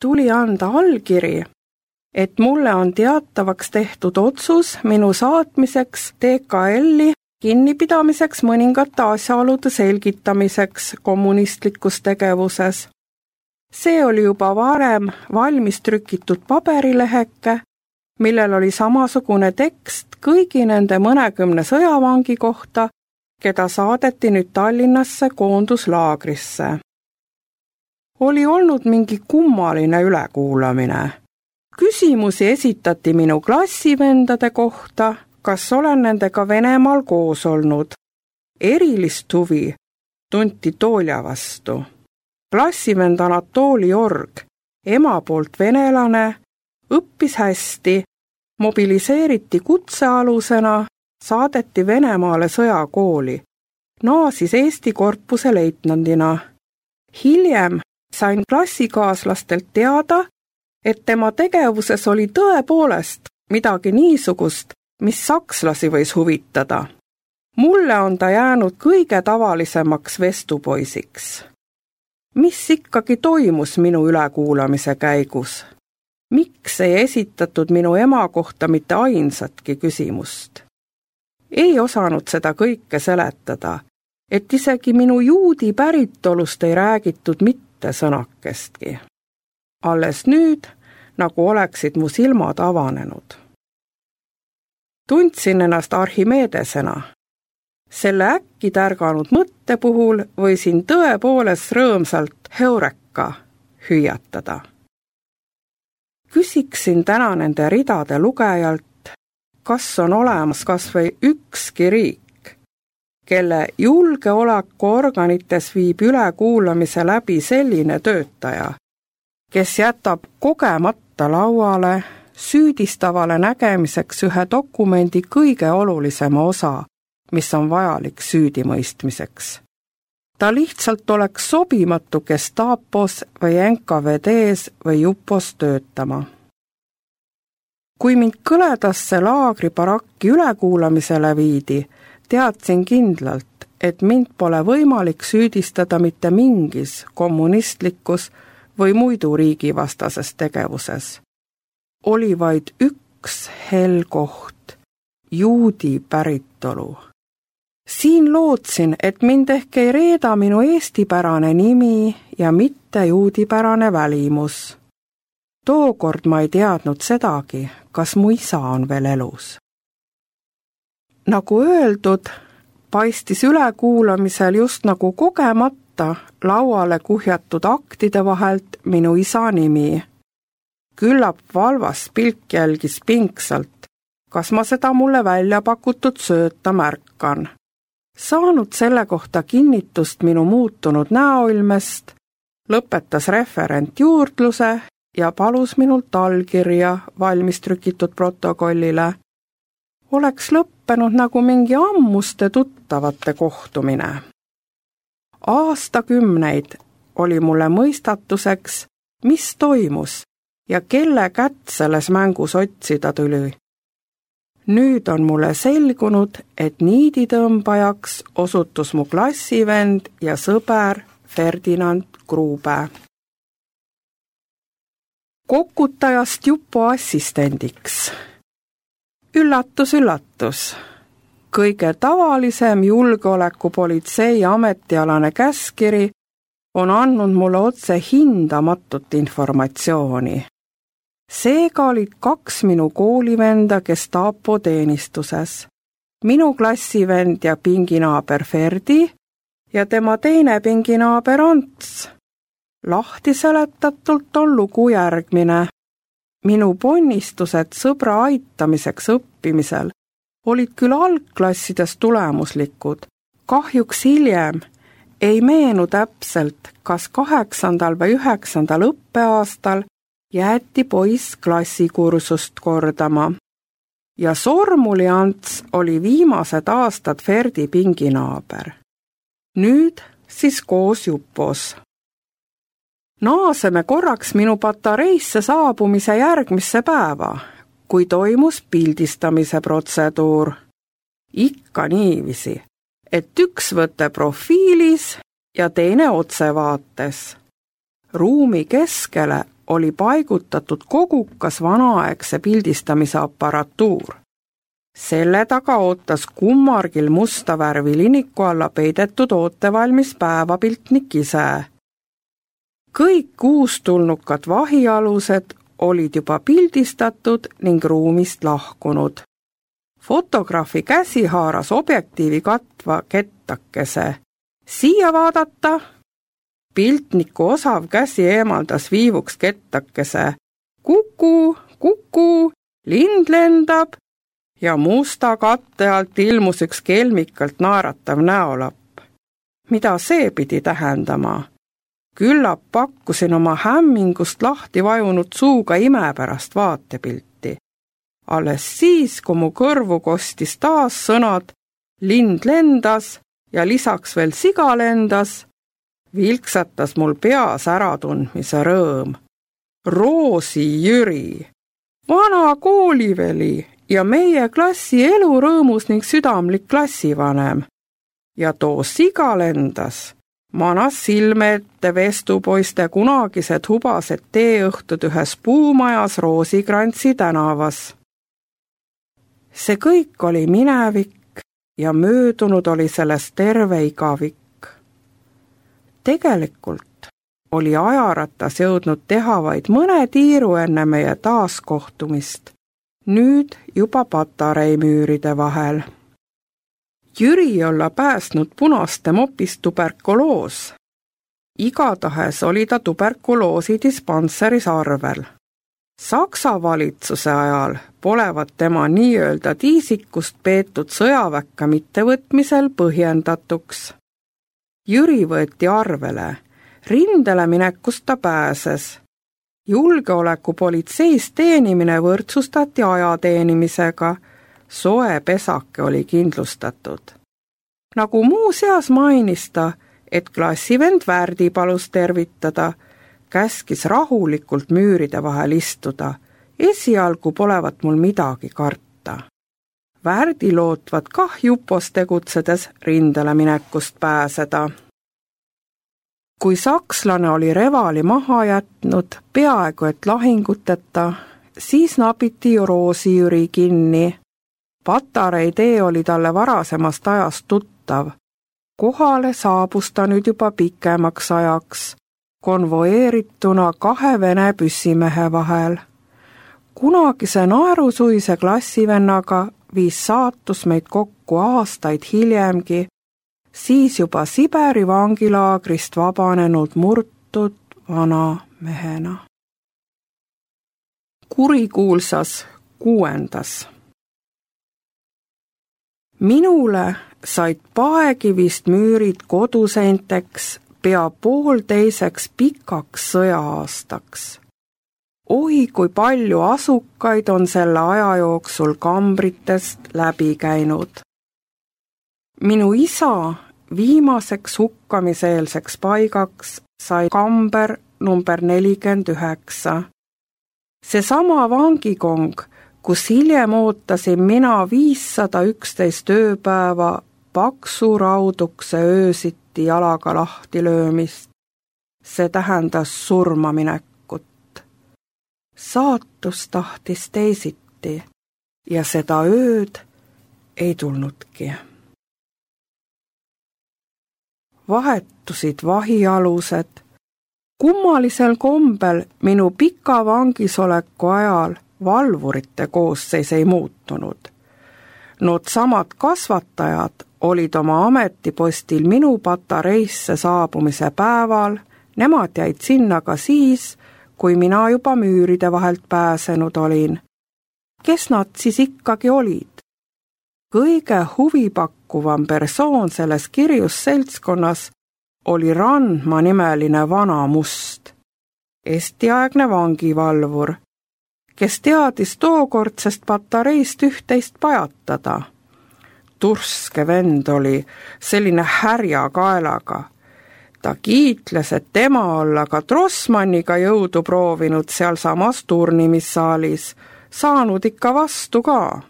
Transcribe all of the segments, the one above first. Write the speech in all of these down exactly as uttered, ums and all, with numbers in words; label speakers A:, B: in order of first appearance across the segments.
A: tuli anda allkiri, et mulle on teatavaks tehtud otsus minu saatmiseks T K L-i kinnipidamiseks mõningate asjaolude selgitamiseks kommunistlikus tegevuses. See oli juba varem valmis trükitud paberileheke, millel oli samasugune tekst kõigi nende mõnekümne sõjavangi kohta, keda saadeti nüüd Tallinnasse koonduslaagrisse. Oli olnud mingi kummaline ülekuulamine. Küsimusi esitati minu klassivendade kohta, kas olen nendega Venemaal koos olnud. Erilist huvi tunti Toolja vastu. Klassivend Anatoli Org, ema poolt venelane, õppis hästi, mobiliseeriti kutsealusena, saadeti Venemaale sõjakooli, naasis Eesti korpuse leitnandina. Hiljem sain klassikaaslastelt teada, et tema tegevuses oli tõepoolest midagi niisugust, mis sakslasi võis huvitada. Mulle on ta jäänud kõige tavalisemaks vestupoisiks. Mis ikkagi toimus minu ülekuulamise käigus? Miks ei esitatud minu ema kohta mitte ainsatki küsimust? Ei osanud seda kõike seletada, et isegi minu juudi päritolust ei räägitud mitte sõnakestki. Alles nüüd, nagu oleksid mu silmad avanenud. Tundsin ennast Archimedesena. Selle äkki tärganud mõtte puhul võisin tõepoolest rõõmsalt heureka hüüatada. Küsiksin täna nende ridade lugejalt, kas on olemas kas või ükski riik, kelle julgeolekuorganites viib ülekuulamise läbi selline töötaja, kes jätab kogemata lauale süüdistavale nägemiseks ühe dokumendi kõige olulisema osa, mis on vajalik süüdimõistmiseks. Ta lihtsalt oleks sobimatu Gestapos või N K V D-s või Jupos töötama. Kui mind kõledasse laagribarakki ülekuulamisele viidi, teadsin kindlalt, et mind pole võimalik süüdistada mitte mingis kommunistlikus või muidu riigivastases tegevuses. Oli vaid üks hell koht, juudi päritolu. Siin lootsin, et mind ehk ei reeda minu eestipärane nimi ja mitte juudipärane välimus. Tookord ma ei teadnud sedagi, kas mu isa on veel elus. Nagu öeldud, paistis ülekuulamisel just nagu kogemata lauale kuhjatud aktide vahelt minu isa nimi. Küllap valvas pilk jälgis pingsalt, kas ma seda mulle välja pakutud sööta märkan. Saanud selle kohta kinnitust minu muutunud näoilmest, lõpetas referent juurdluse ja palus minult allkirja valmis trükitud protokollile. Oleks lõppenud nagu mingi ammuste tuttavate kohtumine. Aastakümneid oli mulle mõistatuseks, mis toimus ja kelle kätt selles mängus otsida tuli. Nüüd on mulle selgunud, et niiditõmbajaks osutus mu klassivend ja sõber Ferdinand Gruube. Kokutajast Jupo assistendiks. Üllatus, üllatus. Kõige tavalisem julgeolekupolitsei ametialane käskiri on andnud mulle otse hindamatut informatsiooni. Seega olid kaks minu koolivenda Gestapo teenistuses. Minu klassivend ja pinginaaber Ferdi ja tema teine pinginaaber Ants. Lahti seletatult on lugu järgmine. Minu ponnistused sõbra aitamiseks õppimisel olid küll algklassides tulemuslikud. Kahjuks hiljem ei meenu täpselt, kas kaheksandal või üheksandal õppeaastal jäeti poiss klassikursust kordama. Ja Sormuli Ants oli viimased aastad Ferdi pinginaaber. Nüüd siis koos Jupos. Naaseme korraks minu patareisse saabumise järgmisse päeva, kui toimus pildistamise protseduur. Ikka niiviisi, et üks võte profiilis ja teine otsevaates. Ruumi keskele oli paigutatud kogukas vanaaegse pildistamise aparatuur. Selle taga ootas kummargil musta värvi liniku alla peidetud ootevalmis päevapiltnik ise. Kõik uustulnukad vahialused olid juba pildistatud ning ruumist lahkunud. Fotograafi käsi haaras objektiivi katva kettakese. Siia vaadata! Piltniku osav käsi eemaldas viivuks kettakese. Kuku, kuku, lind lendab ja musta katte alt ilmus üks kelmikalt naeratav näolapp. Mida see pidi tähendama? Küllap pakkusin oma hämmingust lahti vajunud suuga imepärast vaatepilti. Alles siis, kui mu kõrvu kostis taas sõnad, lind lendas ja lisaks veel siga lendas, vilksatas mul peas äratundmise rõõm. Roosi Jüri, vana kooliveli ja meie klassi elurõõmus ning südamlik klassivanem. Ja too siga lendas, manas silme ette vestupoiste kunagised hubased teeõhtud ühes puumajas Roosikrantsi tänavas. See kõik oli minevik ja möödunud oli sellest terve igavik. Tegelikult oli ajaratas jõudnud teha vaid mõne tiiru enne meie taaskohtumist, nüüd juba patareimüüride vahel. Jüri olla päästnud punaste mopist tuberkuloos. Igatahes oli ta tuberkuloosi dispanseris arvel. Saksa valitsuse ajal polevat tema nii-öelda tiisikust peetud sõjaväkka mittevõtmisel põhjendatuks. Jüri võeti arvele, rindele minekust ta pääses. Julgeolekupolitseis teenimine võrdsustati ajateenimisega, soe pesake oli kindlustatud. Nagu muuseas mainis ta, et klassivend Värdi palus tervitada, käskis rahulikult müüride vahel istuda, esialgu polevat mul midagi karta. Värdi lootvat kah jupos tegutsedes rindele minekust pääseda. Kui sakslane oli revali maha jätnud, peaaegu et lahinguteta, siis napiti Roosi Jüri kinni. Patarei tee oli talle varasemast ajast tuttav. Kohale saabus ta nüüd juba pikemaks ajaks, konvoeerituna kahe vene püssimehe vahel. Kunagise naerusuise klassivennaga viis saatus meid kokku aastaid hiljemgi, siis juba Siberi vangilaagrist vabanenud murtud vana mehena. Kurikuulsas kuuendas. Minule said paegivist müürid koduseinteks pea poolteiseks pikaks sõja-aastaks. Oi, kui palju asukaid on selle aja jooksul kambritest läbi käinud. Minu isa viimaseks hukkamiseelseks paigaks sai kamber number nelikümmend üheksa. Seesama vangikong, kus hiljem ootasin mina viissada üksteist ööpäeva paksu raudukse öösiti jalaga lahti löömist. See tähendas surmaminekut. Saatus tahtis teisiti ja seda ööd ei tulnudki. Vahetusid vahialused. Kummalisel kombel minu pika vangisoleku ajal valvurite koosseis ei muutunud. Nood samad kasvatajad olid oma ametipostil minu patareisse saabumise päeval, nemad jäid sinna ka siis, kui mina juba müüride vahelt pääsenud olin. Kes nad siis ikkagi olid? Kõige huvipakkuvam persoon selles kirjus seltskonnas oli Randma nimeline vana must, estiaegne vangivalvur, kes teadis tookordsest patareist üht-teist pajatada. Turske vend oli, selline härja kaelaga. Ta kiitles, et tema olla ka Trossmanniga jõudu proovinud seal samas turnimissaalis, saanud ikka vastu ka.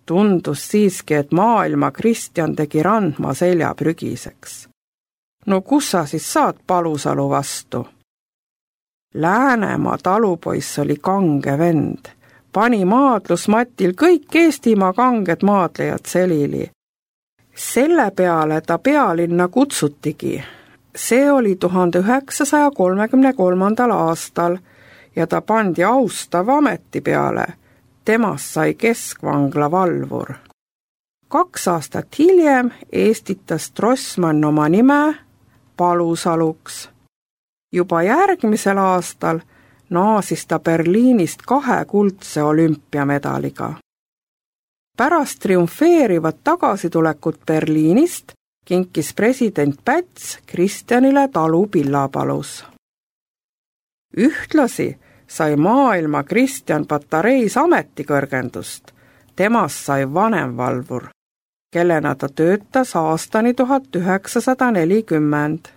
A: Tundus siiski, et maailma Kristjan tegi Randma selja prügiseks. No kus sa siis saad Palusalu vastu? Läänemaa talupoiss oli kange vend, pani maadlusmatil kõik Eestimaa kanged maadlejad selili. Selle peale ta pealinna kutsutigi. See oli tuhande üheksasaja kolmekümne kolmandal aastal ja ta pandi austava ameti peale. Temast sai keskvangla valvur. Kaks aastat hiljem eestitas Trossmann oma nime Palusaluks. Juba järgmisel aastal naasis ta Berliinist kahe kuldse olümpiamedaliga. Pärast triumfeerivat tagasitulekut Berliinist kinkis president Päts Kristjanile talu Pillapalus. Ühtlasi sai maailma Kristjan Patareis ametikõrgendust. Temast sai vanemvalvur, kellena ta töötas aastani tuhat üheksasada nelikümmend.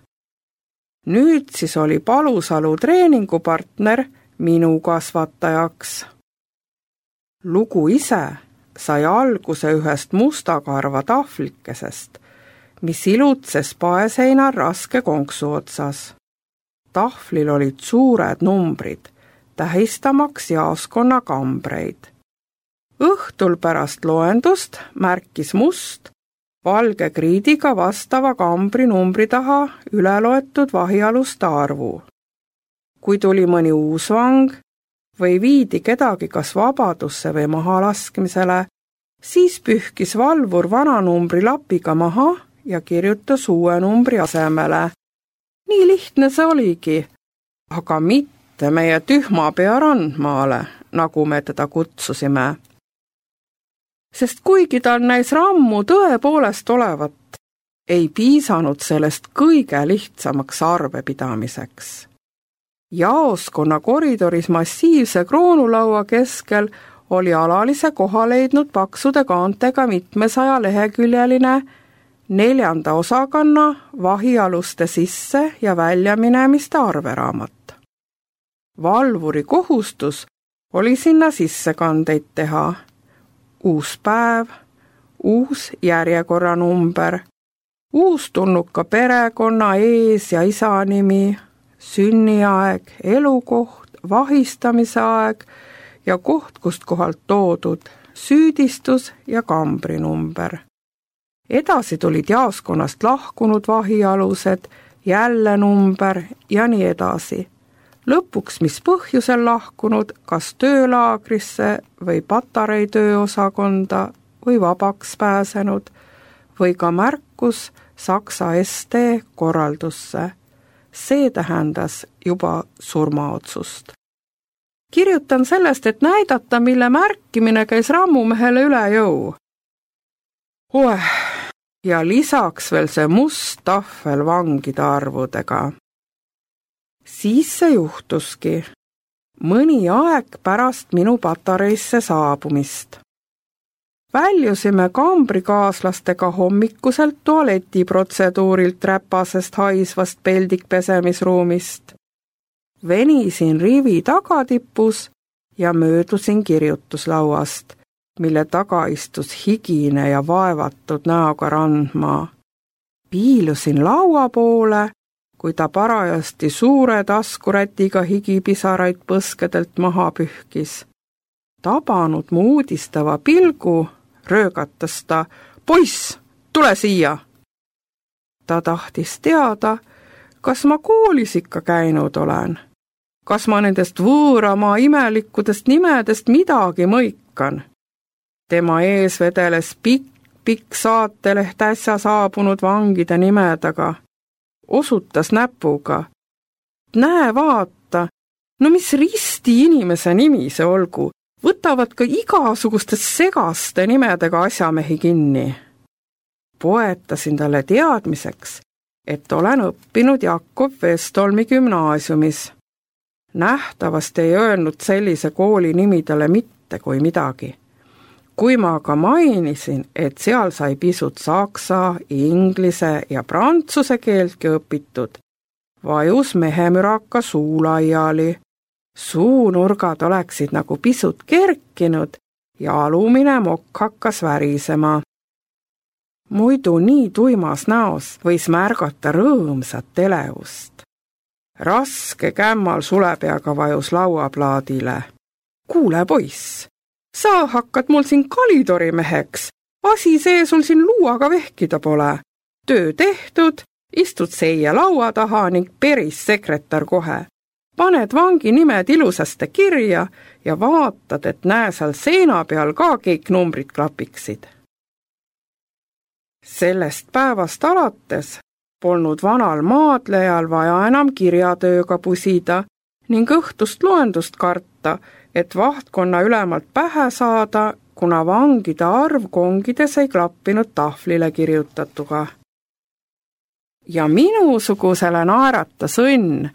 A: Nüüd siis oli Palusalu treeningupartner minu kasvatajaks. Lugu ise sai alguse ühest mustakarva tahvlikesest, mis ilutses paeseinal raske konksu otsas. Tahvlil olid suured numbrid, tähistamaks jaoskonna kambreid. Õhtul pärast loendust märkis must valge kriidiga vastava kambri numbri taha üle loetud vahialuste arvu. Kui tuli mõni uus vang või viidi kedagi kas vabadusse või mahalaskmisele, siis pühkis valvur vana numbri lapiga maha ja kirjutas uue numbri asemele. Nii lihtne see oligi, aga mitte meie tühmapea Randmaale, nagu me teda kutsusime. Sest kuigi tal näis rammu tõepoolest olevat, ei piisanud sellest kõige lihtsamaks arvepidamiseks. Jaoskonna koridoris massiivse kroonulaua keskel oli alalise koha leidnud paksude kaantega mitmesaja leheküljeline neljanda osakanna vahialuste sisse ja väljaminemiste arveraamat. Valvuri kohustus oli sinna sissekandeid teha. Uus päev, uus järjekorranumber, uus tulnuka perekonna ees- ja isanimi, sünniaeg, elukoht, vahistamise aeg ja koht, kust kohalt toodud, süüdistus ja kambrinumber. Edasi tulid jaoskonnast lahkunud vahialused, jälle number ja nii edasi. Lõpuks, mis põhjusel lahkunud, kas töölaagrisse või Patarei tööosakonda või vabaks pääsenud või ka märkus Saksa S T korraldusse. See tähendas juba surmaotsust. Kirjutan sellest, et näidata, mille märkimine käis rammumehele üle jõu. Oeh, ja lisaks veel see must tahvel vangide arvudega. Siis see juhtuski, mõni aeg pärast minu Patareisse saabumist. Väljusime kambrikaaslastega hommikuselt tualetiprotseduurilt räpasest haisvast peldikpesemisruumist. Venisin rivi tagatipus ja möödusin kirjutuslauast, mille taga istus higine ja vaevatud näoga Randmaa. Piilusin laua poole, kui ta parajasti suure taskurätiga higipisaraid põskedelt maha pühkis. Tabanud mu uudistava pilgu, röögatas ta, poiss, tule siia! Ta tahtis teada, kas ma koolis ikka käinud olen, kas ma nendest võõramaa imelikkudest nimedest midagi mõikan. Tema ees vedeles pikk, pikk saateleht äsja saabunud vangide nimedega. Osutas näpuga. Näe, vaata, no mis risti inimese nimi see olgu, võtavad ka igasugustest segaste nimedega asjamehi kinni. Poetasin talle teadmiseks, et olen õppinud Jakob Westholmi gümnaasiumis. Nähtavasti ei öelnud sellise kooli nimi talle mitte kui midagi. Kui ma aga mainisin, et seal sai pisut saksa, inglise ja prantsuse keeltki õpitud, vajus mehemüraka suu laiali. Suunurgad oleksid nagu pisut kerkinud ja alumine mokk hakkas värisema. Muidu nii tuimas näos võis märgata rõõmsat elevust. Raske kämmal sulepeaga vajus lauaplaadile. Kuule, poiss, sa hakkad mul siin kalitorimeheks. Asi see sul siin luuaga vehkida pole. Töö tehtud, istud seia laua taha ning peris sekretär kohe. Paned vangi nimed ilusasti kirja ja vaatad, et näe seal seina peal ka kõik numbrid klapiksid. Sellest päevast alates polnud vanal maadlejal vaja enam kirjatööga pusida ning õhtust loendust karta, et vahtkonna ülemalt pähe saada, kuna vangide arv kongides ei klappinud tahvlile kirjutatuga. Ja minusugusele naeratas õnn.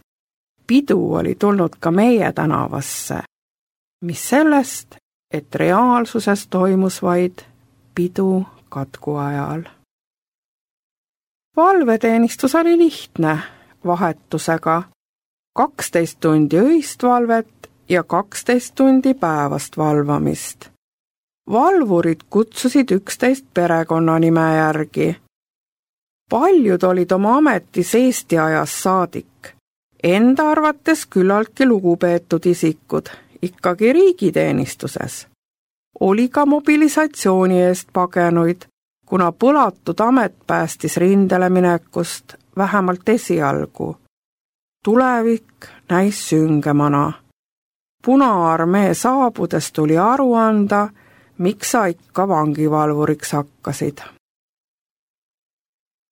A: Pidu oli tulnud ka meie tänavasse, mis sellest, et reaalsuses toimus vaid pidu katku ajal. Valveteenistus oli lihtne, vahetusega, kaksteist tundi öist valvet ja kaksteist tundi päevast valvamist. Valvurid kutsusid üksteist perekonnanime järgi. Paljud olid oma ametis Eesti ajas saadik. Enda arvates küllaltki lugupeetud isikud, ikkagi riigiteenistuses. Oli ka mobilisatsiooni eest pagenuid, kuna põlatud amet päästis rindele minekust vähemalt esialgu. Tulevik näis süngemana. Punaarmee saabudes tuli aru anda, miks sa ikka vangivalvuriks hakkasid.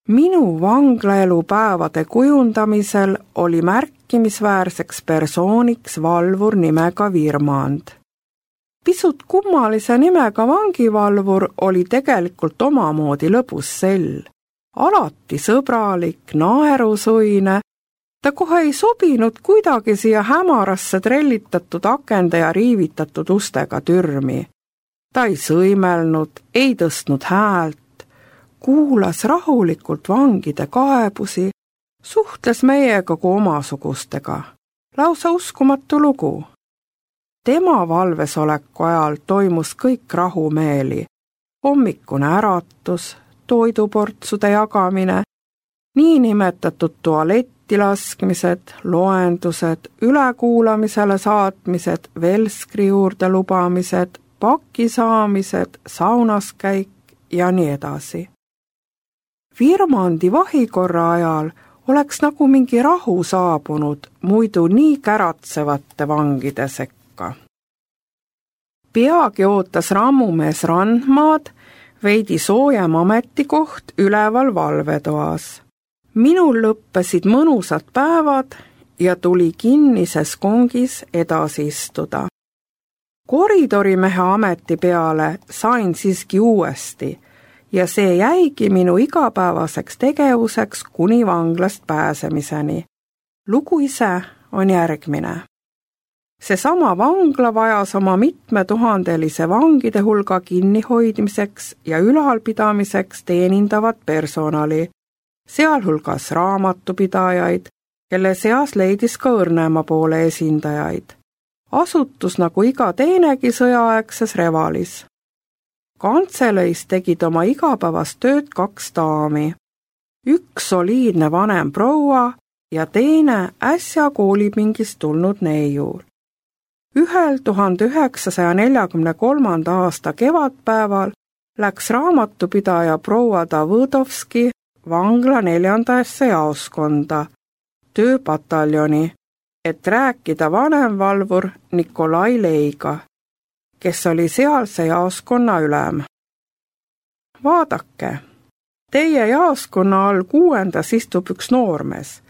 A: Minu vanglaelu päevade kujundamisel oli märkimisväärseks persooniks valvur nimega Virmand. Pisut kummalise nimega vangivalvur oli tegelikult omamoodi lõbus sell. Alati sõbralik, naerusuine, ta kohe ei sobinud kuidagi siia hämarasse trellitatud akende ja riivitatud ustega türmi. Ta ei sõimelnud, ei tõstnud häält, kuulas rahulikult vangide kaebusi, suhtles meiega kui omasugustega. Lausa uskumatu lugu. Tema valvesoleku ajal toimus kõik rahumeeli. Hommikune äratus, toiduportsude jagamine, niinimetatud tualetti laskmised, loendused, ülekuulamisele saatmised, velskri juurde lubamised, paki saamised, saunas käik ja nii edasi. Virmandi vahikorra ajal oleks nagu mingi rahu saabunud muidu nii käratsevate vangide sekka. Peagi ootas rammumees Randmaad veidi soojem ametikoht üleval valvetoas. Minul lõppesid mõnusad päevad ja tuli kinnises kongis edasi istuda. Koridorimehe ameti peale sain siiski uuesti ja see jäigi minu igapäevaseks tegevuseks kuni vanglast pääsemiseni. Lugu ise on järgmine. Seesama vangla vajas oma mitmetuhandelise vangide hulga kinnihoidmiseks ja ülalpidamiseks teenindavat personali, sealhulgas raamatupidajaid, kelle seas leidis ka õrnema poole esindajaid. Asutus nagu iga teinegi sõjaaegses Revalis. Kantseleis tegid oma igapäevast tööd kaks daami. Üks soliidne vanem proua ja teine äsja koolipingist tulnud neiul. Ühel tuhande üheksasaja neljakümne kolmanda aasta kevadpäeval läks raamatupidaja proua Davõdovski vangla neljandasse jaoskonda, tööpataljoni, et rääkida vanemvalvur Nikolai Leiga, kes oli sealse jaoskonna ülem. Vaadake, teie jaoskonna all kuuendas istub üks noormees.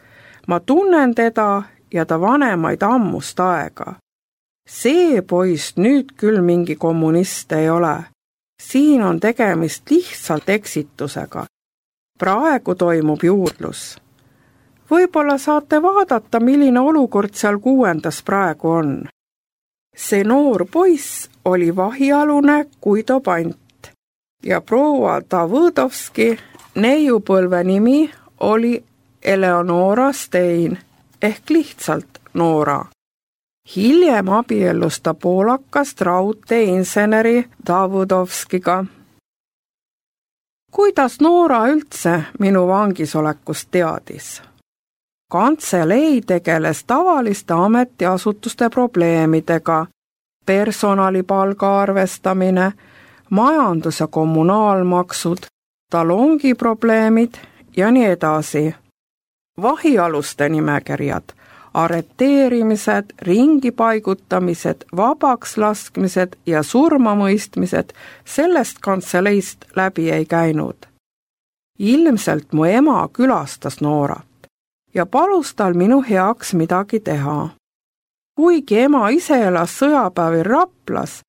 A: Ma tunnen teda ja ta vanemaid ammust aega. See poist nüüd küll mingi kommunist ei ole. Siin on tegemist lihtsalt eksitusega. Praegu toimub juurdlus. Võib-olla saate vaadata, milline olukord seal kuuendas praegu on. See noor poiss oli vahialune Guido Pant ja proua Davõdovski neiupõlve nimi oli Eleonora Stein ehk lihtsalt Noora. Hiljem abiellus ta poolakast raudteeinseneri Davõdovskiga. Kuidas Noora üldse minu vangisolekust teadis? Kantselei tegeles tavaliste ametiasutuste probleemidega, personalipalga arvestamine, majandus- ja kommunaalmaksud, talongiprobleemid ja nii edasi. Vahialuste nimekirjad, arreteerimised, ringipaigutamised, vabaks laskmised ja surmamõistmised sellest kantseleist läbi ei käinud. Ilmselt mu ema külastas Noorat ja palus tal minu heaks midagi teha. Kuigi ema ise elas sõjapäevil Raplas,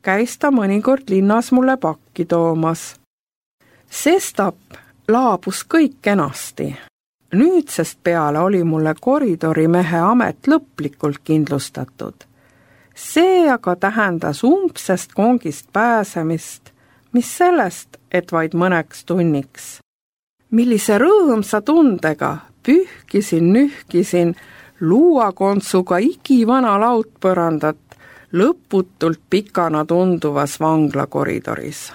A: käis ta mõnikord linnas mulle pakki toomas. Sestap laabus kõik kenasti. Nüüdsest peale oli mulle koridorimehe amet lõplikult kindlustatud. See aga tähendas umbsest kongist pääsemist, mis sellest, et vaid mõneks tunniks. Millise rõõmsa tundega pühkisin, nühkisin luuakontsuga igivana laudpõrandat lõputult pikana tunduvas vanglakoridoris.